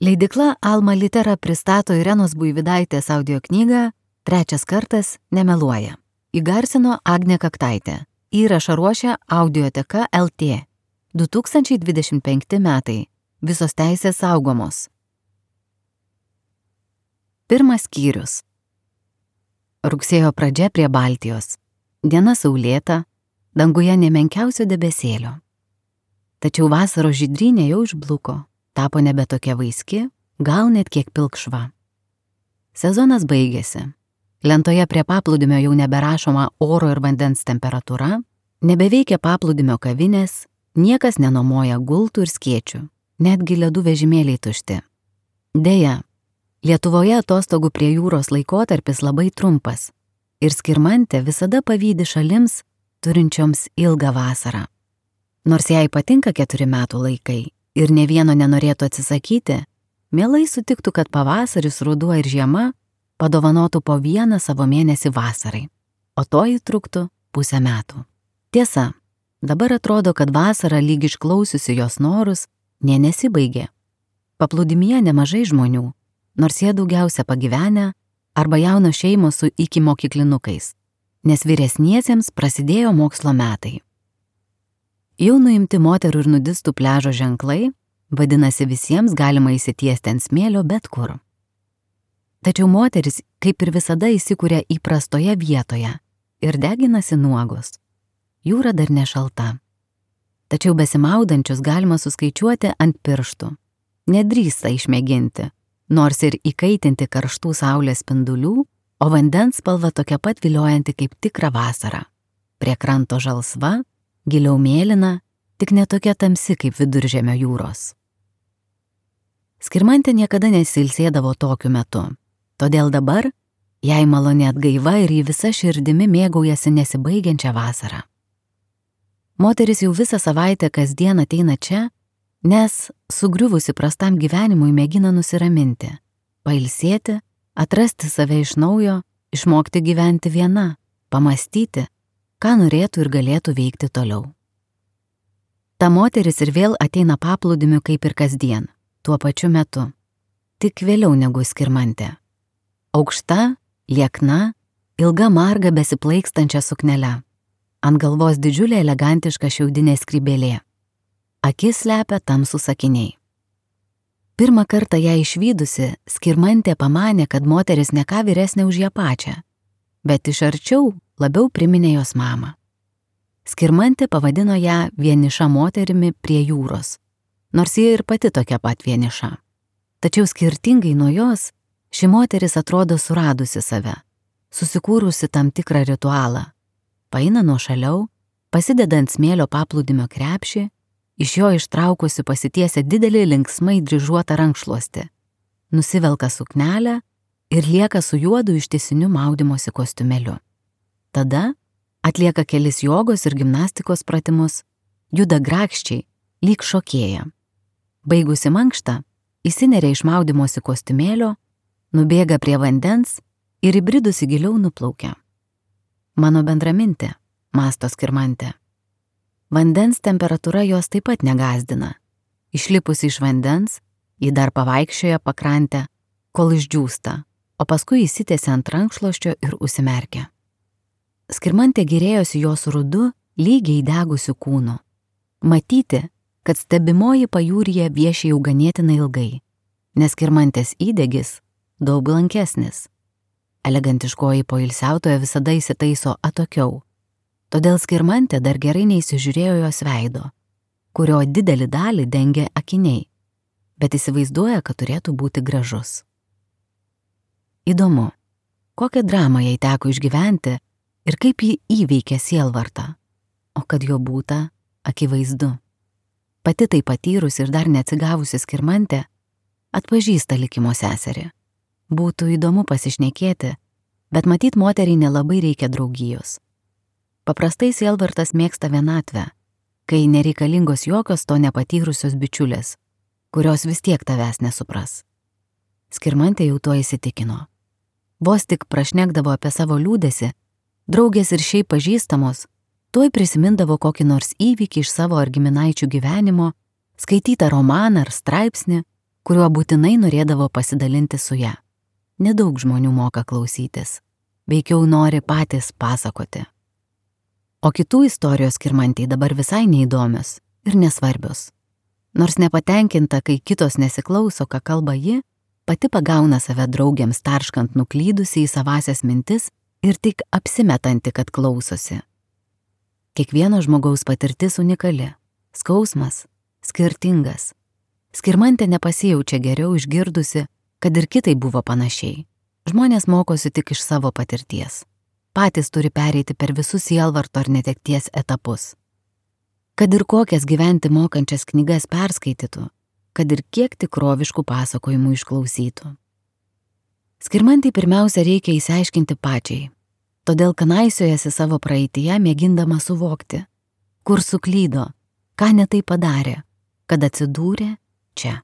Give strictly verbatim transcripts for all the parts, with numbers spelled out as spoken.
Leidykla Alma Litera pristato Irenos Buivydaitės audio knygą Trečias kartas nemeluoja. Įgarsino Agnė Kaktaitė. Įrašą ruošia Audioteka L T. du tūkstančiai dvidešimt penkti metai. Visos teisės saugomos. Pirmas skyrius. Rugsėjo pradžia prie Baltijos. Diena saulėta, danguje nemenkiausio debesėlio. Tačiau vasaros žydrynė jau išbluko, tapo nebe tokia vaiski, gal net kiek pilkšva. Sezonas baigėsi. Lentoje prie paplūdimio jau neberašoma oro ir vandens temperatūra, nebeveikia paplūdimio kavinės, niekas nenomoja gultų ir skėčių, netgi ledų vežimėliai tušti. Deja, Lietuvoje atostogų prie jūros laikotarpis labai trumpas ir Skirmantė visada pavydi šalims, turinčioms ilgą vasarą. Nors jai patinka keturi metų laikai ir ne vieno nenorėtų atsisakyti, mielai sutiktų, kad pavasaris, ruduo ir žiema padovanotų po vieną savo mėnesį vasarai, o toji truktų pusę metų. Tiesa, dabar atrodo, kad vasara lyg išklausiusi jos norus, nė nesibaigė. Paplūdimyje nemažai žmonių, nors jie daugiausia pagyvenę arba jaunos šeimos su ikimokyklinukais, nes vyresniesiems prasidėjo mokslo metai. Jau nuimti moterų ir nudistų pliažo ženklai, vadinasi visiems galima įsitiesti ant smėlio bet kur. Tačiau moteris kaip ir visada įsikuria įprastoje vietoje ir deginasi nuogos. Jūra dar nešalta. Tačiau besimaudančius galima suskaičiuoti ant pirštų. Nedrįsta išmėginti, nors ir įkaitinti karštų saulės spindulių, o vandens spalva tokia pat viliojanti kaip tikra vasara. Prie kranto žalsva, giliau mėlyna, tik netokia tamsi kaip Viduržemio jūros. Skirmantė niekada nesilsėdavo tokiu metu, todėl dabar jai maloni atgaiva ir ji visa širdimi mėgaujasi nesibaigiančią vasarą. Moteris jau visą savaitę kasdien ateina čia, nes sugriuvusi prastam gyvenimui mėgina nusiraminti, pailsėti, atrasti save iš naujo, išmokti gyventi viena, pamastyti, ką norėtų ir galėtų veikti toliau. Ta moteris ir vėl ateina paplūdimiu kaip ir kasdien, tuo pačiu metu, tik vėliau negu Skirmantė. Aukšta, liekna, ilga marga besiplaikstančia suknele, ant galvos didžiulė elegantiška šiaudinė skrybėlė. Akis slepia tamsūs akiniai. Pirmą kartą ją išvydusi, Skirmantė pamanė, kad moteris ne ką vyresnė už ją pačią, bet iš arčiau labiau priminė jos mamą. Skirmantė pavadino ją vieniša moterimi prie jūros, nors ji ir pati tokia pat vieniša. Tačiau skirtingai nuo jos, ši moteris atrodo suradusi save, susikūrusi tam tikrą ritualą. Paeina nuošaliau, pasideda ant smėlio paplūdimio krepšį, iš jo ištraukusi pasitiesia didelį linksmai dryžuotą rankšluostį, nusivelka suknelę ir lieka su juodu ištisiniu maudymosi kostiumėliu. Tada atlieka kelis jogos ir gimnastikos pratimus, juda grakščiai, lyg šokėja. Baigusi mankštą, įsineria iš maudymosi kostiumėlio, nubėga prie vandens ir įbridusi giliau nuplaukia. Mano bendramintė, mąsto Skirmantė. Vandens temperatūra jos taip pat negazdina. Išlipusi iš vandens, ji dar pavaikščioja pakrantę, kol išdžiūsta, o paskui įsitiesia ant rankšluosčio ir užsimerkia. Skirmantė gėrėjosi jos rudu, lygiai degusiu kūnu. Matyti, kad stebimoji pajūryje vieši jau ganėtinai ilgai, nes Skirmantės įdegis daug blankesnis. Elegantiškoji poilsiautoja visada įsitaiso atokiau, todėl Skirmantė dar gerai neįsižiūrėjo jos veido, kurio didelį dalį dengia akiniai, bet įsivaizduoja, kad turėtų būti gražus. Įdomu, kokią dramą jai teko išgyventi ir kaip ji įveikė sielvartą, o kad jo būta, akivaizdu. Pati tai patyrus ir dar neatsigavusi Skirmantė atpažįsta likimo seserį. Būtų įdomu pasišnekėti, bet matyt moteriai nelabai reikia draugijos. Paprastai sielvartas mėgsta vienatvę, kai nereikalingos jokios to nepatyrusios bičiulės, kurios vis tiek tavęs nesupras. Skirmantė jau tuo įsitikino. Vos tik prašnekdavo apie savo liūdesį, draugės ir šiaip pažįstamos, tuoj prisimindavo kokį nors įvykį iš savo ar giminaičių gyvenimo, skaitytą romaną ar straipsnį, kuriuo būtinai norėdavo pasidalinti su ja. Nedaug žmonių moka klausytis, veikiau nori patys pasakoti. O kitų istorijos Skirmantei dabar visai neįdomios ir nesvarbios. Nors nepatenkinta, kai kitos nesiklauso, ką kalba ji, pati pagauna save draugiams tarškant nuklydusi į savasias mintis ir tik apsimetanti, kad klausosi. Kiekvieno žmogaus patirtis unikali, skausmas skirtingas. Skirmantė nepasijaučia geriau išgirdusi, kad ir kitai buvo panašiai. Žmonės mokosi tik iš savo patirties. Patys turi pereiti per visus sielvarto ar netekties etapus. Kad ir kokias gyventi mokančias knygas perskaitytų, kad ir kiek tikroviškų pasakojimų išklausytų. Skirmantei pirmiausia reikia įsiaiškinti pačiai, todėl kanaisiojasi savo praeityje mėgindama suvokti, kur suklydo, ką ne tai padarė, kad atsidūrė čia.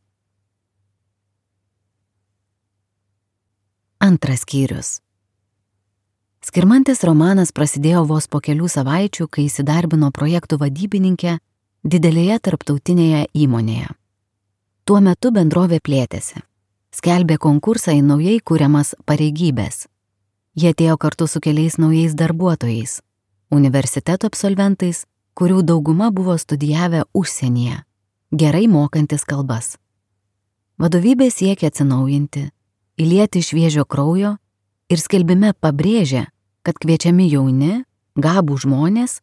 Antras skyrius. Skirmantės romanas prasidėjo vos po kelių savaičių, kai įsidarbino projektų vadybininkė didelėje tarptautinėje įmonėje. Tuo metu bendrovė plėtėsi. Skelbė konkursą į naujai kuriamas pareigybės. Jie atėjo kartu su keliais naujais darbuotojais, universiteto absolventais, kurių dauguma buvo studijavę užsienyje, gerai mokantis kalbas. Vadovybė siekia atsinaujinti, įlieti šviežio kraujo ir skelbime pabrėžė, kad kviečiami jauni, gabų žmonės,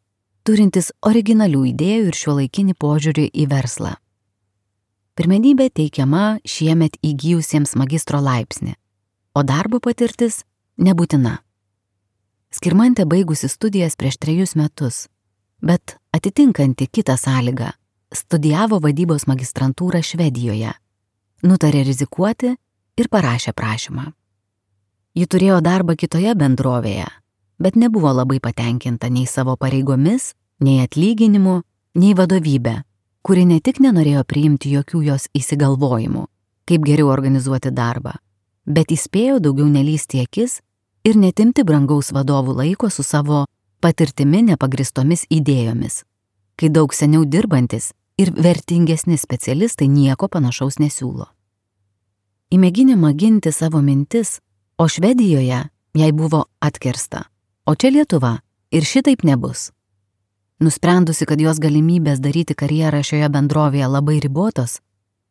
turintys originalių idėjų ir šiuolaikinį požiūrį į verslą. Pirmenybė teikiama šiemet įgijusiems magistro laipsnį, o darbo patirtis nebūtina. Skirmantė baigusi studijas prieš trejus metus, bet atitinkanti kitą sąlygą, studijavo vadybos magistrantūrą Švedijoje, nutarė rizikuoti ir parašė prašymą. Ji turėjo darbą kitoje bendrovėje, bet nebuvo labai patenkinta nei savo pareigomis, nei atlyginimu, nei vadovybė, kuri ne tik nenorėjo priimti jokių jos įsigalvojimų, kaip geriau organizuoti darbą, bet įspėjo daugiau nelysti akis ir netimti brangaus vadovų laiko su savo patirtimi nepagristomis idėjomis, kai daug seniau dirbantis ir vertingesni specialistai nieko panašaus nesiūlo. Į mėginimą ginti savo mintis, o Švedijoje jai buvo atkirsta, o čia Lietuva ir šitaip nebus. Nusprendusi, kad jos galimybės daryti karjerą šioje bendrovėje labai ribotos,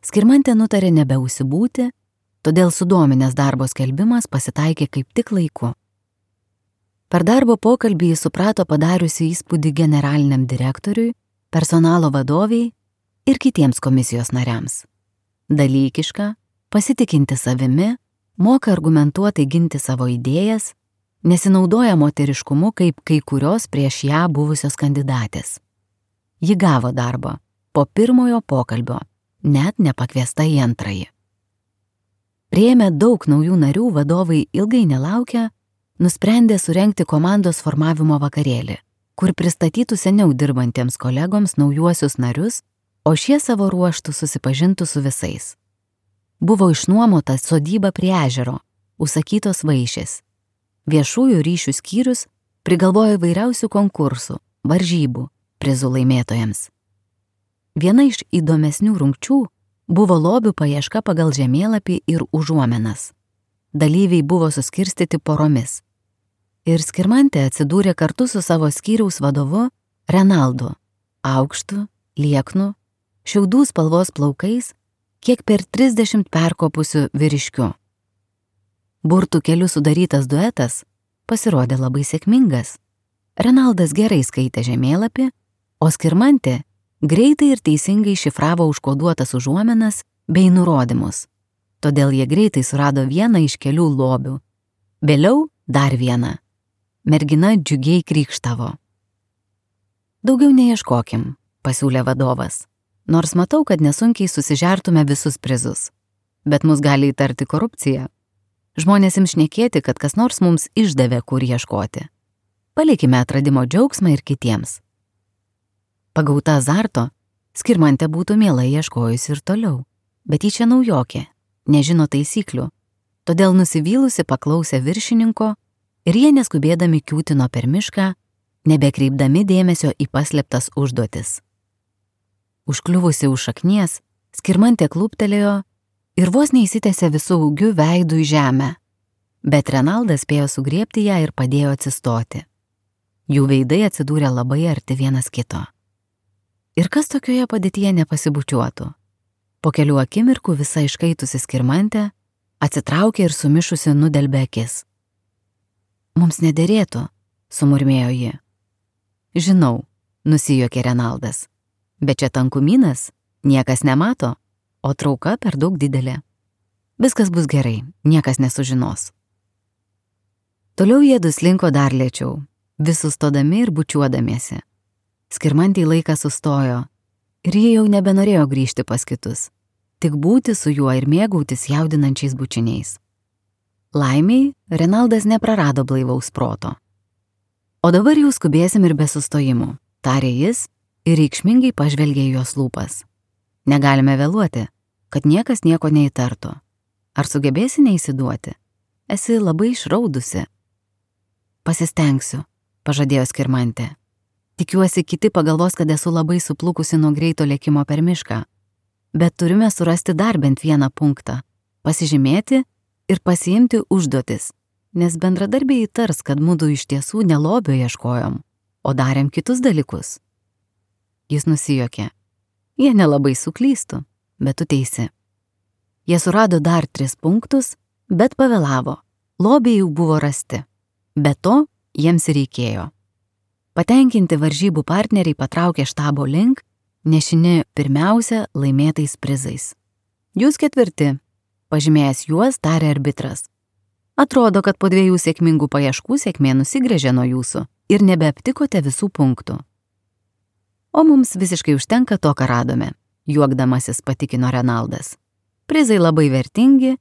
Skirmantė nutarė nebeužsibūti, todėl sudominęs darbo skelbimas pasitaikė kaip tik laiku. Per darbo pokalbį jis suprato padariusi įspūdį generaliniam direktoriui, personalo vadoviai ir kitiems komisijos nariams. Dalykiška, pasitikinti savimi, moka argumentuotai ginti savo idėjas, nesinaudoja moteriškumu kaip kai kurios prieš ją buvusios kandidatės. Ji gavo darbą po pirmojo pokalbio, net nepakviesta į antrąjį. Priėmę daug naujų narių, vadovai ilgai nelaukę, nusprendė surengti komandos formavimo vakarėlį, kur pristatytų seniau dirbantiems kolegoms naujuosius narius, o šie savo ruoštų susipažintų su visais. Buvo išnuomota sodyba prie ežero, užsakytos vaišės. Viešųjų ryšių skyrius prigalvojo įvairiausių konkursų, varžybų, prizų laimėtojams. Viena iš įdomesnių rungčių buvo lobių paieška pagal žemėlapį ir užuomenas. Dalyviai buvo suskirstyti poromis. Ir Skirmantė atsidūrė kartu su savo skyriaus vadovu Renaldu, aukštu, lieknu, šiaudų spalvos plaukais, kiek per trisdešimt perkopusių vyriškių. Burtų keliu sudarytas duetas pasirodė labai sėkmingas. Renaldas gerai skaitė žemėlapį, o Skirmantė greitai ir teisingai šifravo užkoduotas užuomenas bei nurodymus. Todėl jie greitai surado vieną iš kelių lobių. Vėliau dar vieną. Mergina džiugiai krykštavo. Daugiau neieškokim, pasiūlė vadovas. Nors matau, kad nesunkiai susižertume visus prizus. Bet mus gali įtarti korupcija. Žmonės ims šnekėti, kad kas nors mums išdavė, kur ieškoti. Palikime atradimo džiaugsmą ir kitiems. Pagauta azarto, Skirmantė būtų mielai ieškojusi ir toliau, bet ji čia naujokė, nežino taisyklių, todėl nusivylusi paklausė viršininko ir jie neskubėdami kiūtino per mišką, nebekreipdami dėmesio į paslėptas užduotis. Užkliuvusi už šaknies, Skirmantė klūptelėjo ir vos neįsitęsė visų ūgių veidų į žemę, bet Renaldas spėjo sugriebti ją ir padėjo atsistoti. Jų veidai atsidūrė labai arti vienas kito. Ir kas tokioje padėtyje nepasibučiuotų? Po kelių akimirkų visa iškaitusi Skirmantė atsitraukė ir sumišusi nudelbė akis. Mums nederėtų, sumurmėjo ji. Žinau, nusijuokė Renaldas, bet čia tankumynas, niekas nemato, o trauka per daug didelė. Viskas bus gerai, niekas nesužinos. Toliau jie duslinko dar lėčiau, vis sustodami ir bučiuodamiesi. Skirmantei laikas sustojo ir jie jau nebenorėjo grįžti pas kitus, tik būti su juo ir mėgautis jaudinančiais bučiniais. Laimiai, Renaldas neprarado blaivaus proto. O dabar jau skubėsim ir be sustojimų, tarė jis ir reikšmingai pažvelgė į jos lūpas. Negalime vėluoti, kad niekas nieko neįtartų. Ar sugebėsi neįsiduoti? Esi labai išraudusi. Pasistengsiu, pažadėjo Skirmantė. Tikiuosi, kiti pagalvos, kad esu labai suplukusi nuo greito lėkimo per mišką. Bet turime surasti dar bent vieną punktą, pasižymėti ir pasiimti užduotis, nes bendradarbiai įtars, kad mudu iš tiesų ne lobio ieškojom, o darėm kitus dalykus. Jis nusijuokė. Jie nelabai suklystų, bet tu teisi. Jie surado dar tris punktus, bet pavėlavo. Lobiai jau buvo rasti. Be to, jiems reikėjo. Patenkinti varžybų partneriai patraukė štabo link, nešini pirmiausia laimėtais prizais. Jūs ketvirti, pažymėjęs juos, tarė arbitras. Atrodo, kad po dviejų sėkmingų paieškų sėkmė nusigręžė nuo jūsų ir nebeaptikote visų punktų. O mums visiškai užtenka to, ką radome, juokdamasis patikino Renaldas. Prizai labai vertingi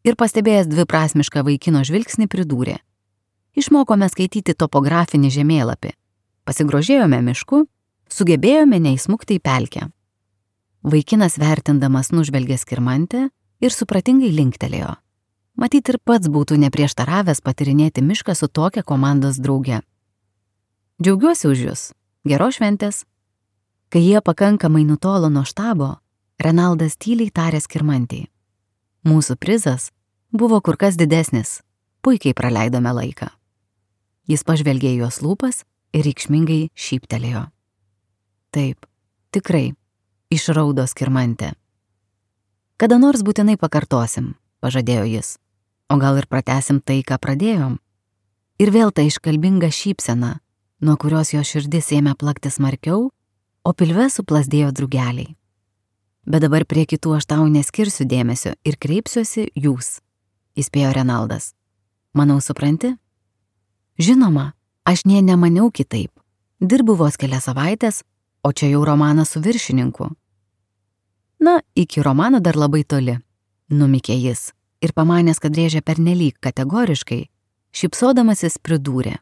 ir pastebėjęs dviprasmišką vaikino žvilgsnį pridūrė. Išmokome skaityti topografinį žemėlapį, pasigrožėjome mišku, sugebėjome neįsmukti į pelkę. Vaikinas vertindamas nužvelgė Skirmantę ir supratingai linktelėjo. Matyt ir pats būtų neprieštaravęs patirinėti mišką su tokia komandos drauge. Džiaugiuosi už jūs, geros šventės. Kai jie pakankamai nutolo nuo štabo, Renaldas tyliai tarė Skirmantei. Mūsų prizas buvo kur kas didesnis, puikiai praleidome laiką. Jis pažvelgė į jos lūpas ir reikšmingai šyptelėjo. Taip, tikrai, išraudo Skirmantė. Kada nors būtinai pakartosim, pažadėjo jis, o gal ir pratęsim tai, ką pradėjom. Ir vėl ta iškalbinga šypsena, nuo kurios jo širdis ėmė plakti smarkiau, o pilve suplasdėjo drugeliai. Bet dabar prie kitų aš tau neskirsiu dėmesio ir kreipsiuosi jūs, įspėjo Renaldas. Manau, supranti? Žinoma, aš nė nemaniau kitaip. Dirbu vos kelias savaitės, o čia jau romanas su viršininku. Na, iki romano dar labai toli, numykė jis ir pamanęs, kad rėžė pernelyg kategoriškai, šypsodamasis pridūrė.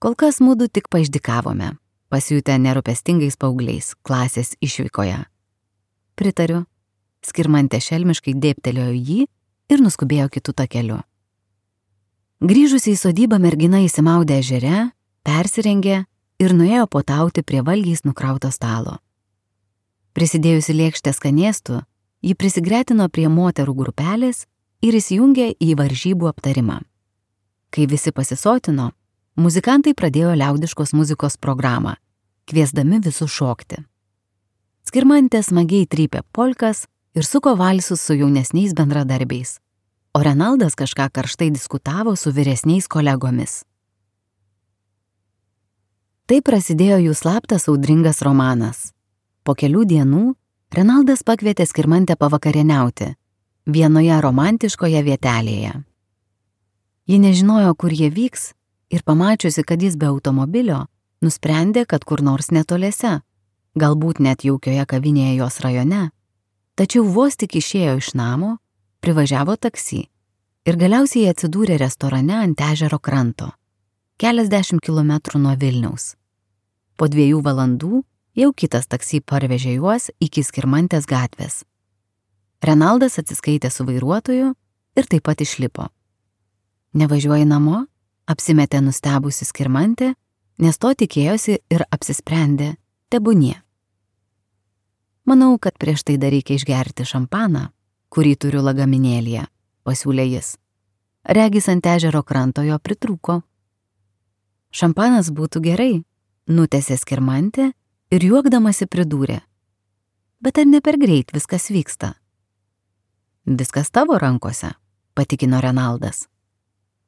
Kol kas mudu tik paišdikavome, pasijutę nerūpestingais paaugliais klasės išvykoje. Pritariu, Skirmantė šelmiškai dėbtelėjo jį ir nuskubėjo kitų takeliu. Grįžusi į sodybą mergina įsimaudė ežere, persirengė ir nuėjo potauti prie valgiais nukrauto stalo. Prisidėjusi lėkštę skanėstų, ji prisigretino prie moterų grupelės ir įsijungė į varžybų aptarimą. Kai visi pasisotino, muzikantai pradėjo liaudiškos muzikos programą, kviesdami visus šokti. Skirmantė smagiai trypė polkas ir suko valsus su jaunesniais bendradarbiais, o Renaldas kažką karštai diskutavo su vyresniais kolegomis. Taip prasidėjo jų slaptas audringas romanas. Po kelių dienų Renaldas pakvietė Skirmantę pavakarieniauti vienoje romantiškoje vietelėje. Ji nežinojo, kur jie vyks ir pamačiusi, kad jis be automobilio, nusprendė, kad kur nors netoliese, galbūt net jaukioje kavinėje jos rajone, tačiau vos tik išėjo iš namo, privažiavo taksi ir galiausiai atsidūrė restorane ant ežero kranto, keliasdešimt kilometrų nuo Vilniaus. Po dviejų valandų jau kitas taksi parvežė juos iki Skirmantės gatvės. Renaldas atsiskaitė su vairuotoju ir taip pat išlipo. Nevažiuoji namo? Apsimetė nustebusi Skirmantė, nes to tikėjosi ir apsisprendė, tebūnie. Manau, kad prieš tai dar reikia išgerti šampaną, kurį turiu lagaminėlyje, pasiūlė jis. Regis ant ežero kranto jo pritrūko. Šampanas būtų gerai, nutęsė Skirmantė ir juokdamasi pridūrė. Bet ar ne per greit viskas vyksta? Viskas tavo rankose, patikino Renaldas.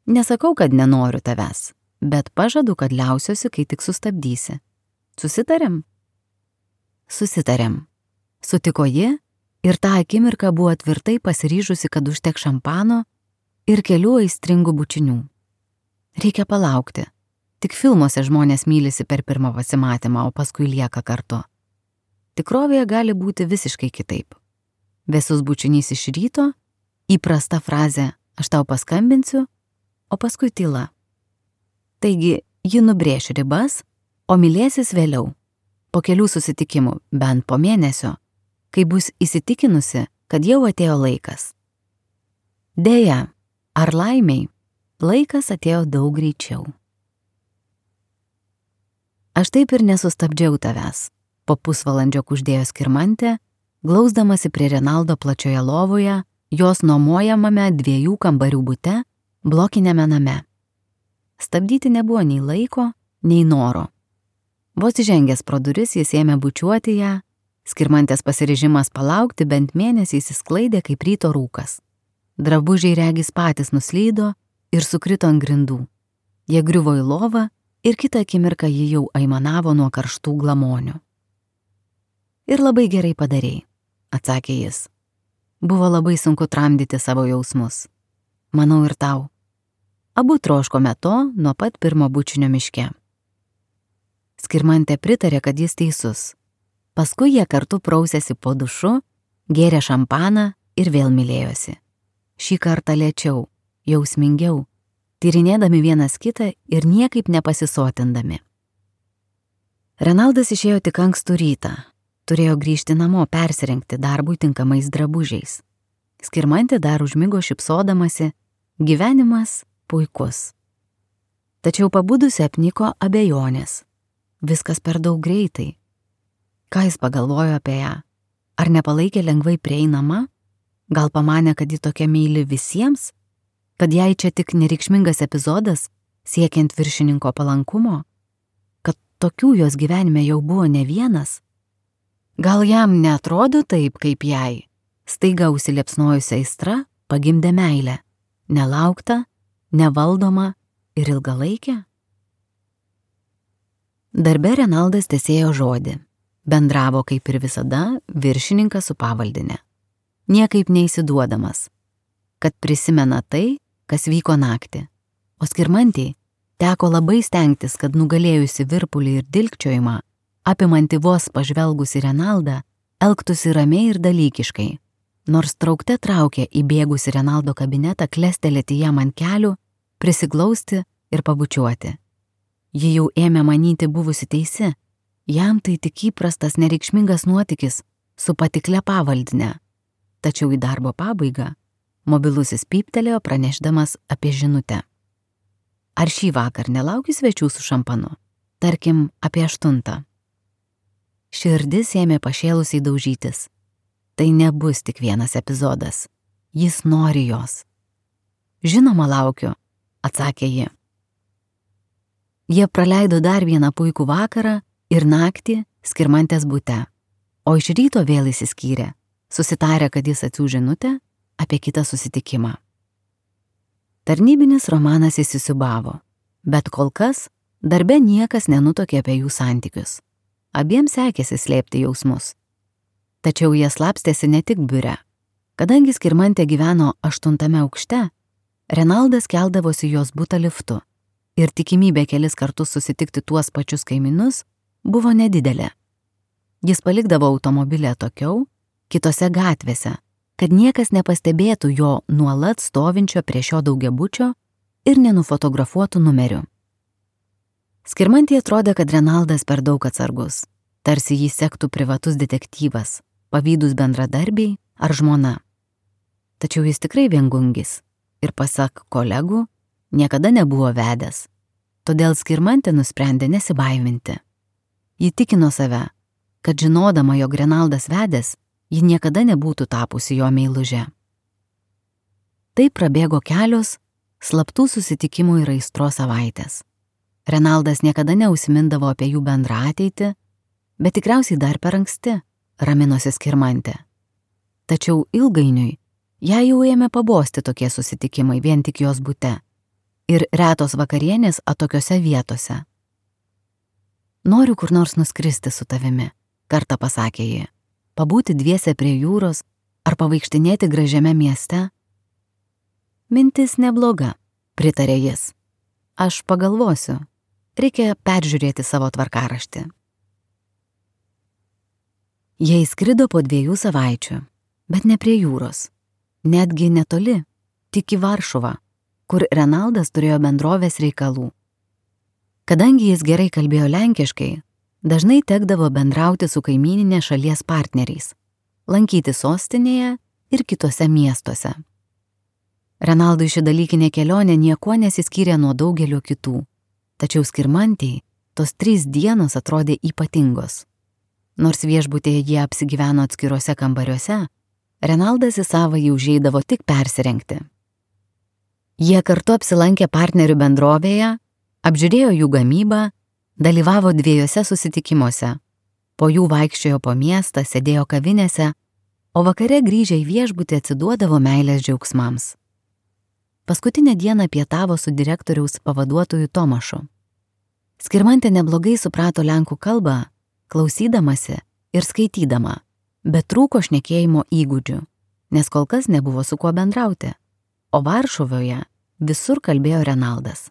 Nesakau, kad nenoriu tavęs, bet pažadu, kad liausiuosi, kai tik sustabdysi. Susitarėm? Susitarėm. Sutiko ji ir tą akimirką buvo tvirtai pasiryžusi, kad užtek šampano ir kelių aistringų bučinių. Reikia palaukti. Tik filmuose žmonės mylisi per pirmą pasimatymą, o paskui lieka kartu. Tikrovėje gali būti visiškai kitaip. Vėsus bučinys iš ryto, įprasta frazė aš tau paskambinsiu, o paskui tyla. Taigi, ji nubrėš ribas, o mylėsis vėliau, po kelių susitikimų, bent po mėnesio, kai bus įsitikinusi, kad jau atėjo laikas. Deja, ar laimiai, laikas atėjo daug greičiau. Aš taip ir nesustabdžiau tavęs, po pusvalandžio kuždėjo Skirmantė, glausdamasi prie Renaldo plačioje lovoje, jos nuomojamame dviejų kambarių bute, blokinėme name. Stabdyti nebuvo nei laiko, nei noro. Vos įžengęs pro duris jis ėmė bučiuoti ją, Skirmantės pasiryžimas palaukti bent mėnesį įsisklaidė kaip ryto rūkas. Drabužiai regis patys nuslydo ir sukrito ant grindų. Jie griuvo į lovą ir kitą akimirką ji jau aimanavo nuo karštų glamonių. Ir labai gerai padarei, atsakė jis. Buvo labai sunku tramdyti savo jausmus. Manau ir tau. Abu troškome to nuo pat pirmo bučinio miške. Skirmantė pritarė, kad jis teisus. Paskui jie kartu prausėsi po dušu, gėrė šampaną ir vėl mylėjosi. Šį kartą lėčiau, jausmingiau, tyrinėdami vienas kitą ir niekaip nepasisotindami. Renaldas išėjo tik ankstų rytą. Turėjo grįžti namo persirengti darbui tinkamais drabužiais. Skirmantė dar užmigo šypsodamasi, gyvenimas puikus. Tačiau pabudusi apniko abejonės. Viskas per daug greitai. Ką jis pagalvojo apie ją? Ar nepalaikė lengvai prieinama? Gal pamanė, kad ji tokia meili visiems? Kad jai čia tik nereikšmingas epizodas, siekiant viršininko palankumo? Kad tokių jos gyvenime jau buvo ne vienas? Gal jam neatrodo taip, kaip jai? Staiga užsiliepsnojusi aistra pagimdė meilę. Nelaukta, nevaldoma ir ilgalaikė? Darbe Renaldas tęsėjo žodį. Bendravo kaip ir visada viršininkas su pavaldine. Niekaip neįsiduodamas. Kad prisimena tai, kas vyko naktį. O Skirmantei teko labai stengtis, kad nugalėjusi virpulį ir dilgčiojimą, apimanti vos pažvelgusi Renaldą, elgtųsi ramiai ir dalykiškai, nors traukte traukė įbėgusi Renaldo kabinetą klestelėti jam ant kelių, prisiglausti ir pabučiuoti. Ji jau ėmė manyti buvusi teisi, jam tai tik įprastas nereikšmingas nuotykis su patiklia pavaldine. Tačiau į darbo pabaigą mobilusis pyptelėjo pranešdamas apie žinutę. Ar šį vakar nelauki svečių su šampanu? Tarkim, apie aštuntą. Širdis ėmė pašėlusiai daužytis. Tai nebus tik vienas epizodas. Jis nori jos. Žinoma, laukiu, atsakė ji. Jie praleido dar vieną puikų vakarą ir naktį Skirmantės bute, o iš ryto vėl įsiskyrė, susitarė, kad jis atsiųs žinutę apie kitą susitikimą. Tarnybinis romanas įsisiūbavo, bet kol kas darbe niekas nenutokė apie jų santykius. Abiems sekėsi slėpti jausmus. Tačiau jie slapstėsi ne tik biure. Kadangi Skirmantė gyveno aštuntame aukšte, Renaldas keldavosi jos butą liftu ir tikimybė kelis kartus susitikti tuos pačius kaimynus buvo nedidelė. Jis palikdavo automobilį atokiau, kitose gatvėse, kad niekas nepastebėtų jo nuolat stovinčio prie šio daugiabučio ir nenufotografuotų numerių. Skirmantei atrodė, kad Renaldas per daug atsargus, tarsi jį sektų privatus detektyvas, pavydūs bendradarbiai ar žmona. Tačiau jis tikrai viengungis ir, pasak kolegų, niekada nebuvo vedęs. Todėl Skirmantė nusprendė nesibaiminti. Ji tikino save, kad žinodama, jog Renaldas vedęs, ji niekada nebūtų tapusi jo meiluže. Taip prabėgo kelios slaptų susitikimų ir aistros savaitės. Renaldas niekada neužsimindavo apie jų bendrą ateitį, bet tikriausiai dar per anksti, raminosi Skirmantė. Tačiau ilgainiui ją jau ėmė pabosti tokie susitikimai vien tik jos bute ir retos vakarienės atokiose vietose. Noriu kur nors nuskristi su tavimi, kartą pasakė ji, pabūti dviese prie jūros ar pavaikštinėti gražiame mieste. Mintis nebloga, pritarė jis. Aš pagalvosiu, reikia peržiūrėti savo tvarkaraštį. Jie įskrido po dviejų savaičių, bet ne prie jūros, netgi netoli, tik į Varšuvą, kur Renaldas turėjo bendrovės reikalų. Kadangi jis gerai kalbėjo lenkiškai, dažnai tekdavo bendrauti su kaimyninės šalies partneriais, lankyti sostinėje ir kitose miestuose. Renaldui ši dalykinė kelionė niekuo nesiskyrė nuo daugelio kitų, tačiau Skirmantei tos trys dienos atrodė ypatingos. Nors viešbutėje jie apsigyveno atskiruose kambariuose, Renaldas į savąjį užeidavo tik persirengti. Jie kartu apsilankė partnerių bendrovėje, apžiūrėjo jų gamybą, dalyvavo dviejose susitikimuose, po jų vaikščiojo po miestą, sėdėjo kavinėse, o vakare grįžę į viešbutį atsiduodavo meilės džiaugsmams. Paskutinę dieną pietavo su direktoriaus pavaduotoju Tomašu. Skirmantė neblogai suprato lenkų kalbą, klausydamasi ir skaitydama, bet trūko šnekėjimo įgūdžių, nes kol kas nebuvo su kuo bendrauti, o Varšuvoje visur kalbėjo Renaldas.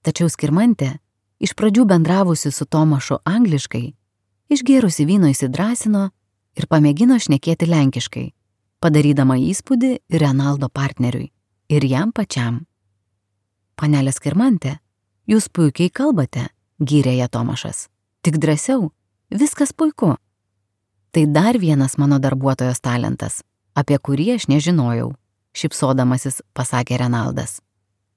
Tačiau Skirmantė, iš pradžių bendravusi su Tomašu angliškai, išgėrusi vyno įsidrąsino ir pamėgino šnekėti lenkiškai, padarydama įspūdį ir Renaldo partneriui, ir jam pačiam. Panelė Skirmantė, jūs puikiai kalbate, gyrė ją Tomašas. Tik drąsiau, viskas puiku. Tai dar vienas mano darbuotojos talentas, apie kurį aš nežinojau, šypsodamasis pasakė Renaldas.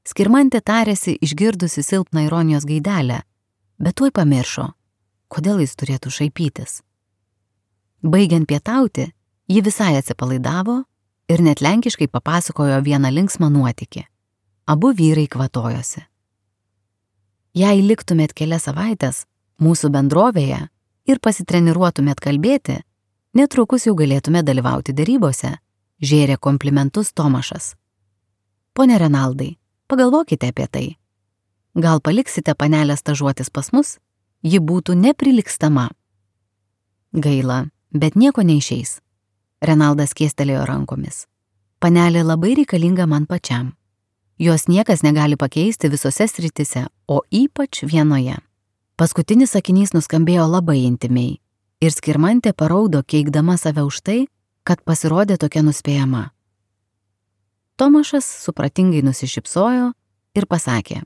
Skirmantė tarėsi išgirdusi silpną ironijos gaidelę, bet tuoj pamiršo, kodėl jis turėtų šaipytis. Baigiant pietauti, ji visai atsipalaidavo ir net lenkiškai papasakojo vieną linksmą nuotykį. Abu vyrai kvatojosi. Jei liktumėt kelias savaitės mūsų bendrovėje ir pasitreniruotumėt kalbėti, netrukus jau galėtumėt dalyvauti derybose, žėrė komplimentus Tomašas. Pone Renaldai, pagalvokite apie tai. Gal paliksite panelę stažuotis pas mus? Ji būtų neprilygstama. Gaila, bet nieko neišeis. Renaldas kėstelėjo rankomis. Panelė labai reikalinga man pačiam. Jos niekas negali pakeisti visose sritise, o ypač vienoje. Paskutinis sakinys nuskambėjo labai intimiai ir Skirmantė paraudo, keikdama save už tai, kad pasirodė tokia nuspėjama. Tomašas supratingai nusišypsojo ir pasakė,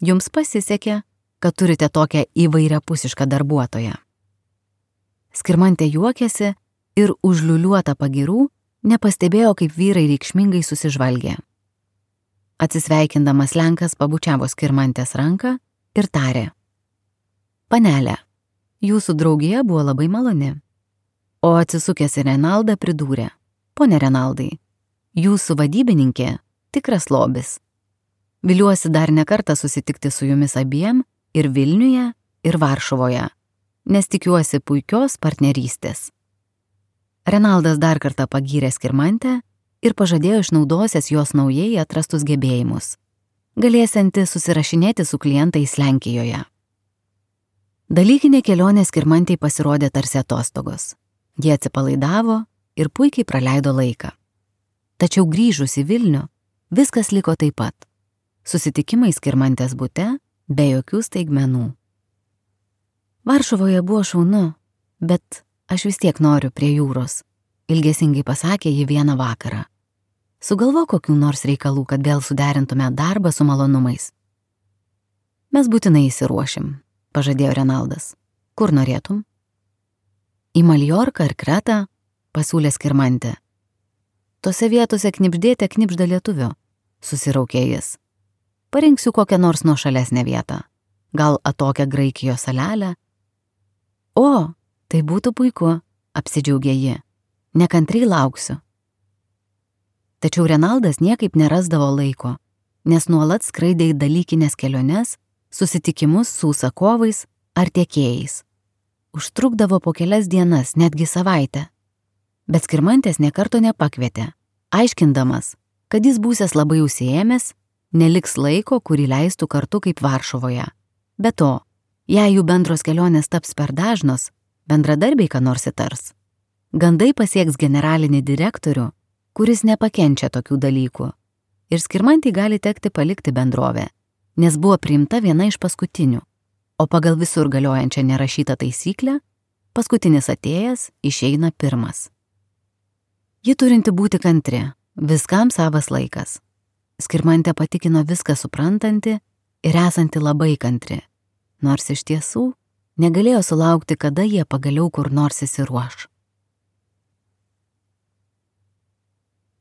jums pasisekė, kad turite tokią įvairiapusišką darbuotoją. Skirmantė juokėsi ir užliuliuota pagirų nepastebėjo, kaip vyrai reikšmingai susižvalgė. Atsisveikindamas lenkas pabučiavo Skirmantės ranką ir tarė, panelė, jūsų draugija buvo labai maloni. O atsisukęs į Renaldą pridūrė, pone Renaldai, jūsų vadybininkė tikras lobis. Viliuosi dar ne kartą susitikti su jumis abiem ir Vilniuje, ir Varšuvoje, nes tikiuosi puikios partnerystės. Renaldas dar kartą pagyrė Skirmantę ir pažadėjo išnaudosięs jos naujai atrastus gebėjimus, galėsianti susirašinėti su klientais Lenkijoje. Dalykinė kelionė Skirmantei pasirodė tarsi atostogos. Jie atsipalaidavo ir puikiai praleido laiką. Tačiau grįžus į Vilnių, viskas liko taip pat. Susitikimai Skirmantės bute be jokių staigmenų. Varšuvoje buvo šaunu, bet aš vis tiek noriu prie jūros, ilgesingai pasakė ji vieną vakarą. Sugalvo kokių nors reikalų, kad vėl suderintume darbą su malonumais. Mes būtinai įsiruošim, pažadėjo Renaldas. Kur norėtum? Į Maljorką ar Kretą, pasiūlė Skirmantė. Tose vietose knibždėte knibžda lietuvio, susiraukė jis. Parinksiu kokią nors nuošalesnę vietą, gal atokią Graikijos salelę. O, tai būtų puiku, apsidžiaugė ji. Nekantriai lauksiu. Tačiau Renaldas niekaip nerasdavo laiko, nes nuolat skraidė į dalykinės keliones, susitikimus su užsakovais ar tiekėjais. Užtrukdavo po kelias dienas, netgi savaitę. Bet Skirmantės nė karto nepakvietė, aiškindamas, kad jis būsęs labai užsiėmęs, neliks laiko, kurį leistų kartu kaip Varšuvoje. Be to, jei jų bendros kelionės taps per dažnos, bendradarbiai ką nors įtars. Gandai pasieks generalinį direktorių, kuris nepakenčia tokių dalykų. Ir Skirmantei gali tekti palikti bendrovę, nes buvo priimta viena iš paskutinių, o pagal visur galiojančią nerašytą taisyklę, paskutinis atėjęs išeina pirmas. Ji turinti būti kantri, viskam savas laikas. Skirmantė patikino viską suprantanti ir esanti labai kantri, nors iš tiesų negalėjo sulaukti, kada jie pagaliau kur nors įsiruoš.